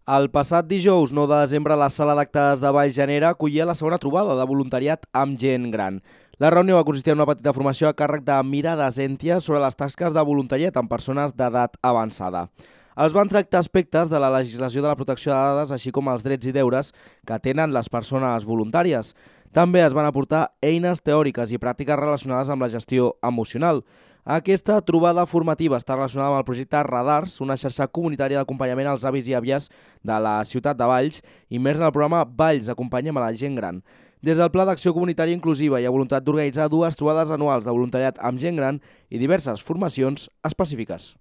El passat dijous 9 de desembre la sala d'actes de Valls Llanera acollia la segona trobada de voluntariat amb gent gran. La reunió va consistir en una petita formació a càrrec de Mirada Zèntia sobre les tasques de voluntariat amb persones d'edat avançada. Es van tractar aspectes de la legislació de la protecció de dades, així com els drets i deures que tenen les persones voluntàries. També es van aportar eines teòriques i pràctiques relacionades amb la gestió emocional. Aquesta trobada formativa està relacionada amb el projecte Radars, una xarxa comunitària d'acompanyament als avis i àvies de la ciutat de Valls, immers en el programa Valls acompanyem a la gent gran. Des del Pla d'Acció Comunitària Inclusiva hi ha voluntat d'organitzar dues trobades anuals de voluntariat amb gent gran i diverses formacions específiques.